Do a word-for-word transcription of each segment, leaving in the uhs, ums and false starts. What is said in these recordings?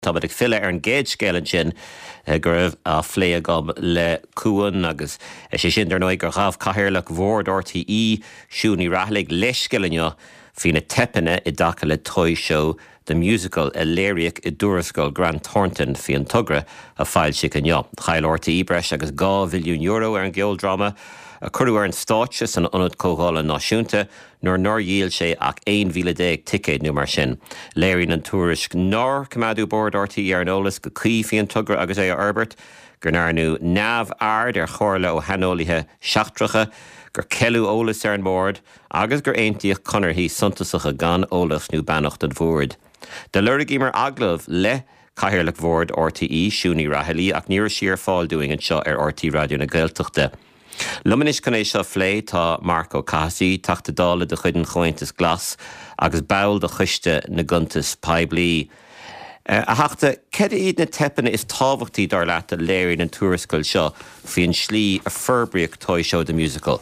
Táimid ag filleadh ar an gcéad scéal ansin go raibh á phlé agam le Cuan agus sé sin dar ndóigh gur ghabh cathaoirleach bhord RTÉ Siún Ní Raghallaigh leithscéal inniu faoi na teipeanna i dtaca le Toy Show the Musical a léiríodh i dtuarascáil Grant Thornton faoi an togra a foilsíodh inniu. Chaill RTÉ breis agus dhá mhilliún euro ar an gceoldráma a cuireadh ar an stáitse san Ionad Comhdhála Náisiúnta nuair nár dhíol sé ach aon mhíle déag ticéad nó mar sin. Léiríonn an tuairisc nár coimeádadh bord RTÉ ar an eolas go cuí faoin togra agus é a fhorbairt, go ndearnadh neamhaird ar chomhairle ó shaineolaithe seachtracha, gur ceileadh eolas ar an mbord agus gur aontaíodh conarthaí suntasacha gan eolas nó beannacht an bhoird. Do lorgaíomar agallamh le Cathaoirleach Bhord RTÉ Siún Ní Raghallaigh ach ní raibh sí ar fáil dúinn anseo ar RTÉ Raidió na Gaeltachta. Liom anois chun é seo a phlé tá Marc Ó Cathasaigh, Teachta Dála de chuid an Chomhaontais Glas agus ball de Choiste na gCuntas Poiblí. A Theachta, cad iad na teipeanna is tábhachtaí dar leat a léiríonn an tuarascáil seo faoin slí a forbraíodh Toy Show the Musical?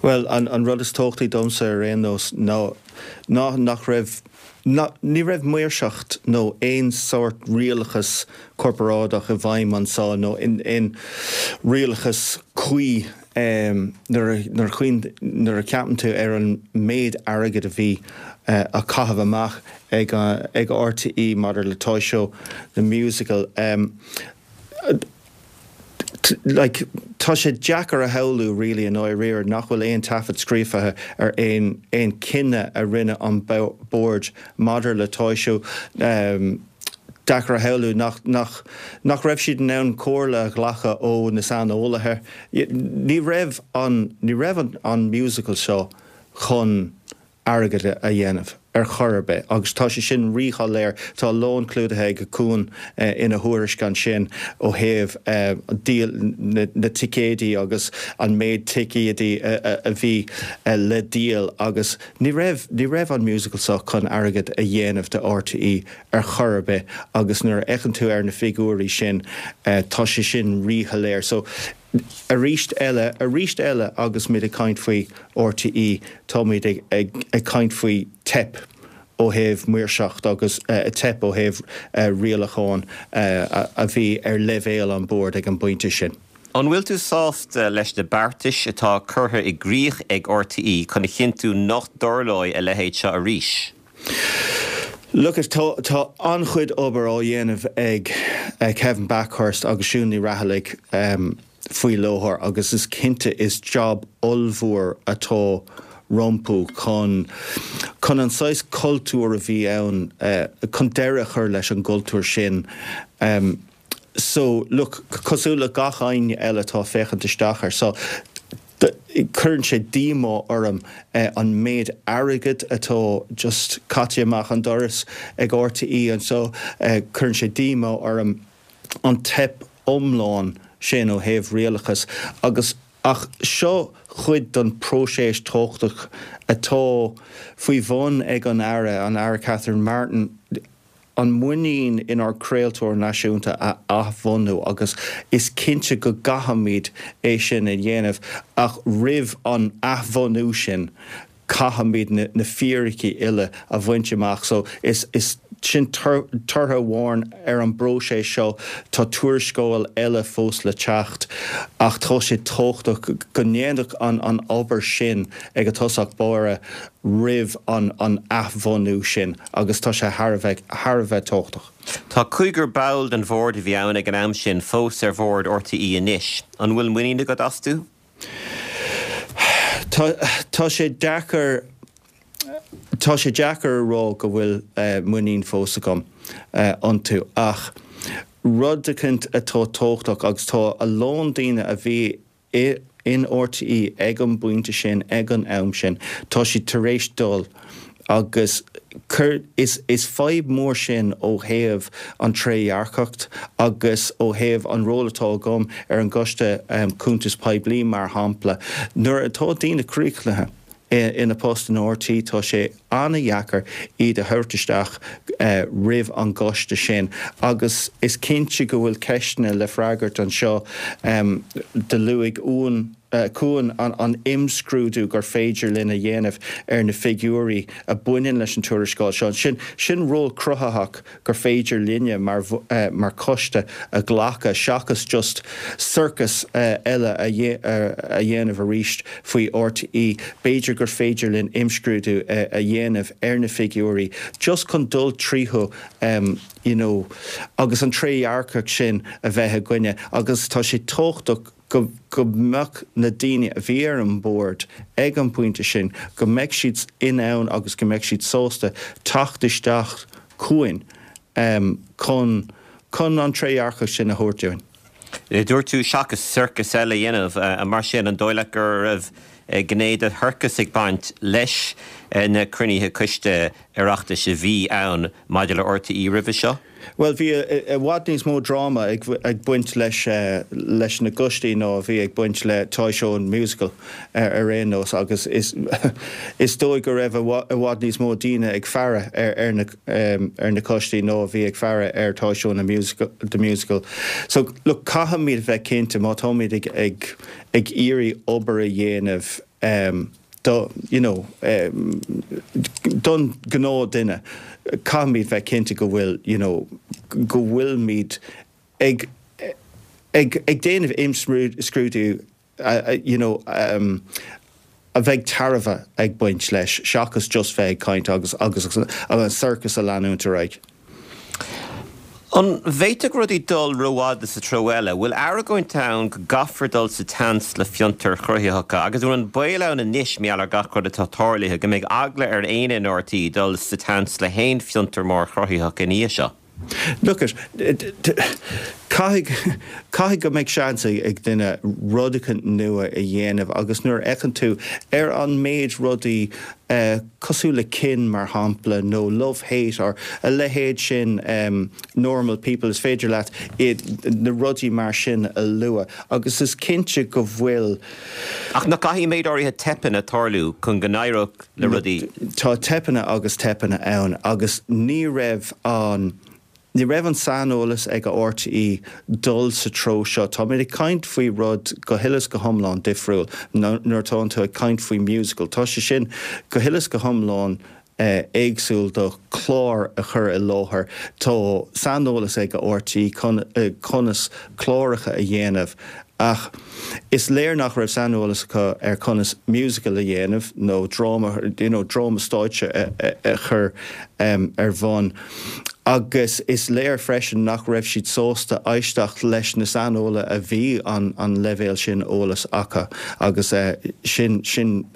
Well an, an rud is tábhachtaí domsa ar aon nós ná ná nach raibh ná, ní raibh maoirseacht nó aon sórt rialachas corparáideach i bhfeidhm anseo nó in, in rialachas cuí um, nuair nuair a cheapann tú ar an méid airgid a bhí uh, á chaitheamh amach ag, uh, ag RTÉ maidir le Toy Show the Musical. Um, like tá sé deacair a shamhlú really an oiread nach bhfuil aon taifead scríofa ar aon aon chinneadh a rinne an board maidir le Toy Show um, deacair a shamhlú nach, nach, nach raibh siad in ann comhairle a ghlacadh ó na saineolaithe. Ní raibh an, ní raibh an, an musical seo chun airgead a dhéanamh ar chor ar bith agus tá sé sin ríshoiléir tá a lán clúdaithe ag Cuan eh, ina thuairisc ansin ó thaobh eh, díol na, na ticéidí agus an méid ticéidí a, a bhí eh, le díol agus ní raibh ní raibh an musical seo chun airgead a dhéanamh do RTÉ ar chor ar bith agus nuair a fhéachann tú ar na figiúirí sin tá sé sin ríshoiléir. So arís eile arís eile agus muid ag caint faoi RTÉ táimid ag, ag, ag caint faoi teip ó thaobh maoirseacht agus uh, teip ó thaobh uh, rialacháin uh, a, a bhí ar leibhéal an board ag an bpointe sin. An bhfuil tú sásta leis na beartais atá curtha i gcrích ag RTÉ chun a chinntiú nach dtarlóidh a leithéid seo arís? Look tá tá an-chuid obair á dhéanamh ag uh, Kevin Bakhurst agus Siún Ní Raghallaigh um, faoi láthair agus is cinnte is job ollmhór atá rompu chun chun an saghas cultúr a bhí ann uh, chun deireadh a chur leis an gcultúr sin. Um, so look cosúil le gach éinne eile atá féachaint isteach air so cuireann sé díomá orm eh, an méid airgid atá just caite amach an doras ag RTÉ anseo eh, cuireann sé díomá orm an teip iomlán sin ó thaobh rialachas agus ach seo chuid den próiseas tábhachtach atá faoi bhun ag an Aire an Aire Catherine Martin an muinín inár craoltóir náisiúnta a athbhunú agus is cinnte go gcaithfimid é sin a dhéanamh ach roimh an athbhunú sin caithfimid na, na fíricí uile a bhaint amach so is is sin tortha amháin ar an bpróiseas seo tá tuarascáil eile fós le teacht ach tá sé tábhachtach go ndéanfadh an an obair sin ag a tosach báire roimh an an athbhunú sin agus tá sé thar a bheith thar a bheith tábhachtach. Tá cúigear ball den bhord a bhí ann ag an am sin fós ar bhord RTÉ anois. An bhfuil muinín agat astu? Tá tá sé deacair Tá sé deacair a rá go bhfuil uh, muinín fós agam uh, iontu ach rud eicínt atá tábhachtach agus tá a lán daoine a bhí i, in RTÉ ag an bpointe sin ag an am sin tá siad tar éis dul agus cur, is, is fadhb mór sin ó thaobh an trédhearcacht agus ó thaobh an ról atá agam ar an gcoiste um, cuntas poiblí mar shampla. Nuair atá daoine críochnaithe ina post in RTÉ tá sé an-deacair iad a thabhairt isteach uh, roimh an gcoiste sin agus is cinnte go bhfuil ceisteanna le freagairt anseo um, do luaigh Eoin chugainn an, an imscrúdú gur féidir linn a dhéanamh ar na figiúirí a bhaineann leis an tuarascáil seo. Sin sin ról cruthaitheach gur féidir linne mar, uh, mar choiste a ghlacadh seachas just circus uh, eile a, a dhéanamh arís faoi R T É. B'fhéidir gur féidir linn imscrúdú uh, a dhéanamh ar na figiúirí, just chun dul tríothu um, you know, agus an trédhearcacht sin a bheith againne agus tá sé tábhachtach go go mbeadh na daoine a bhí ar an bord ag an pointe sin go mbeidh siad in ann agus go mbeidh siad sásta teacht isteach chugainn um, chun chun an trédhearcacht sin a thabhairt dúinn. Dúirt tú seachas circus eile dhéanamh mar sin an dóigh leat go raibh gné de shorcas ag baint leis na cruinnithe coiste Oireachtais a bhí ann maidir le R T É roimhe seo? Well bhí i bhfad níos mó dráma ag, ag baint leis uh, leis na coistí ná bhí ag baint le Toy Show an musical ar, ar aon nós agus is, is dóigh go raibh i bhfad níos mó daoine ag faire ar, ar, na, um, ar na coistí ná bhí ag faire ar Toy Show na musical, the musical. So look caithfimid bheith cinnte má táimid ag, ag, ag iarraidh obair a dhéanamh um, do you know um, don gnáthdhuine caithfimid bheith cinnte go bhfuil you know go bhfuilimid ag ag ag déanamh imscrúdú uh, uh, you know um, a bheidh tairbhe ag baint leis seachas just bheith ag caint agus agus agus an circus a leanúint ar aghaidh. An bhféadfadh rudaí dul rófhada sa treo eile, bhfuil argóint ann go gcaithfear dul sa tseans le fiontair chruthaitheacha, agus an baol ann anois mar gheall ar gach rud atá tarlaithe go mbeidh eagla ar éinne in R T É dul sa tseans le haon fhiontar mór cruthaitheach ina dhiaidh seo. Look at caithfidh caithfidh go mbeidh seans ag duine rudaí nua a dhéanamh agus nuair a fhéachann tú ar an méid rudaí uh, cosúil le Kin mar shampla nó Love Hate or a leithéid sin um, Normal People is féidir leat na rudaí mar sin a lua agus is cinnte go bhfuil Ach nach gcaithfidh méid áirithe teipeanna tarlú chun go n-éireodh le rudaí. Tá teipeanna agus teipeanna ann agus ní raibh an Ní raibh an saineolas ag a R T É dul sa treo seo. Tá mé ag caint faoi rud go huile is go hiomlán difriúil nuair atá tú ag caint faoi musical. Tá sé sin go huile is go hiomlán eh, éagsúil do chlár a chur i láthair. Tá saineolas ag a R T É eh, conas cláracha a dhéanamh. Ach is léir nach raibh saineolas acu ar conas musical a dhéanamh nó dráma you know, dráma stáitse a, a, a chur um, ar bun. Agus is léir freisin nach raibh siad sásta éisteacht leis na saineolaithe a bhí an, an leibhéal sin eolas acu agus uh, sin, sin,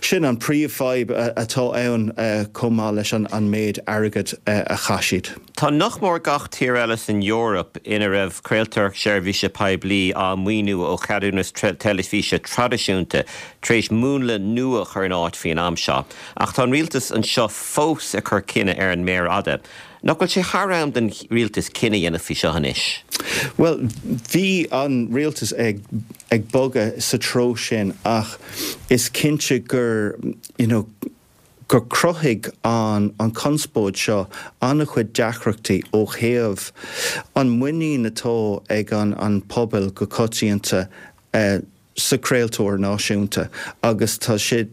sin an príomhfhadhb atá ann uh, chomh maith leis an, an méid airgid uh, a chaith siad. Tá nach mór gach tír eile san Eoraip ina raibh craoltóireacht seirbhíse poiblí á maoiniú ó cheadúnas teilifíse traidisiúnta tar éis múnla nua a chur in áit faoin am seo. Ach tá an rialtas anseo fós ag cur cinneadh ar an méar fhada. Nach bhfuil sé thar am don rialtas cinneadh a dhéanamh faoi seo anois. Well, bhí an rialtas ag ag bogadh sa treo sin ach is cinnte gur you know, gur chruthaigh an an conspóid seo an-chuid deacrachtaí ó thaobh an muinín atá ag an an pobal go coitianta uh, sa craoltóir náisiúnta agus tá sé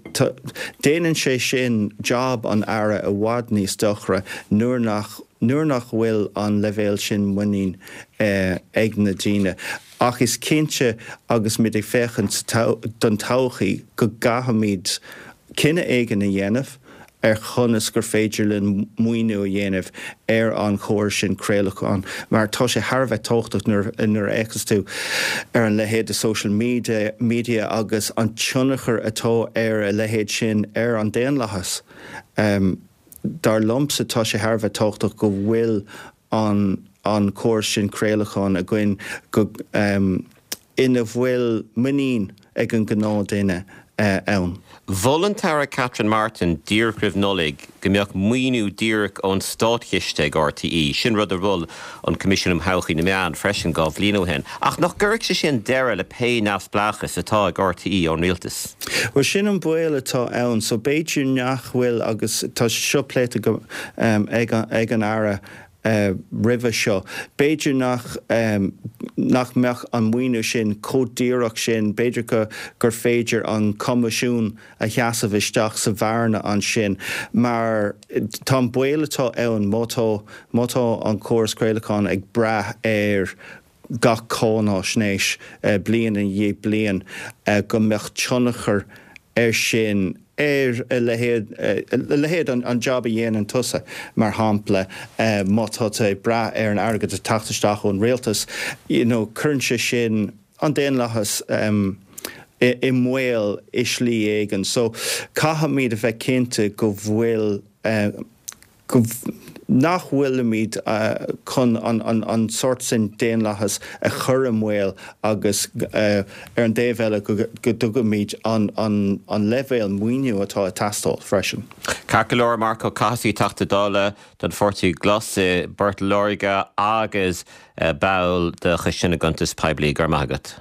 déanann sé sin job an aire i bhfad níos deacra nuair nach nuair nach bhfuil an leibhéal sin muinín eh, ag na daoine. Ach is cinnte agus muid ag féachaint don todhchaí go gcaithfimid cinneadh éigin a dhéanamh ar chonas gur féidir linn maoiniú a dhéanamh ar an chóras sin craolacháin, mar tá sé thar a bheith tábhachtach nuair a fhéachas tú ar an leithéid de social media, media agus an tionchar atá ar a leithéid sin ar an daonlathas. Um, dar liomsa tá sé thar a bheith tábhachtach go bhfuil an an córas sin craolacháin againn go um, ina bhfuil muinín ag an gnáthdhuine uh, ann. Mhol an tAire Catherine Martin díreach roimh Nollaig go mbeadh maoiniú díreach ón státchiste ag R T É, sin rud a mhol an Coimisiún um Thodhchaí na Meán freisin dhá bhliain ó shin. Ach nach gcuirfeadh sé sin deireadh le pé neamhspleáchas atá ag R T É ón rialtas. Well sin an baol atá ann, so b'fhéidir nach bhfuil agus tá seo pléite go um, ag, ag an aire uh, roimhe seo. B'fhéidir nach um, nach mbeadh an maoiniú sin chomh díreach sin b'fhéidir go gur féidir an coimisiún a sheasamh isteach sa bhearna ansin mar tá an baol atá ann má tá má tá an córas craolacháin ag brath ar gach cáinaisnéis uh, bliain i ndiaidh bliain uh, go mbeadh tionchar ar sin ar a leithéid a leithéid an, an job a dhéanann tusa mar shampla uh, má tá ag brath ar an airgead ag teacht isteach ón rialtas you know, cuireann sé sin an daonlathas um, i, i mbaol i slí éigin so caithfimid a bheith cinnte go bhfuil uh, go nach bhfuilimid uh, chun an, an, an sórt sin daonlathas a chur i mbaol agus uh, ar an dtaobh eile go, go dtugaimid an, an, an leibhéal maoiniú atá ag teastáil freisin. Ceart go leor Marc Ó Cathasaigh Teachta Dála don Pháirtí Glas i bPort Láirge agus uh, ball de Choiste na gCuntas Poiblí go raibh maith agat.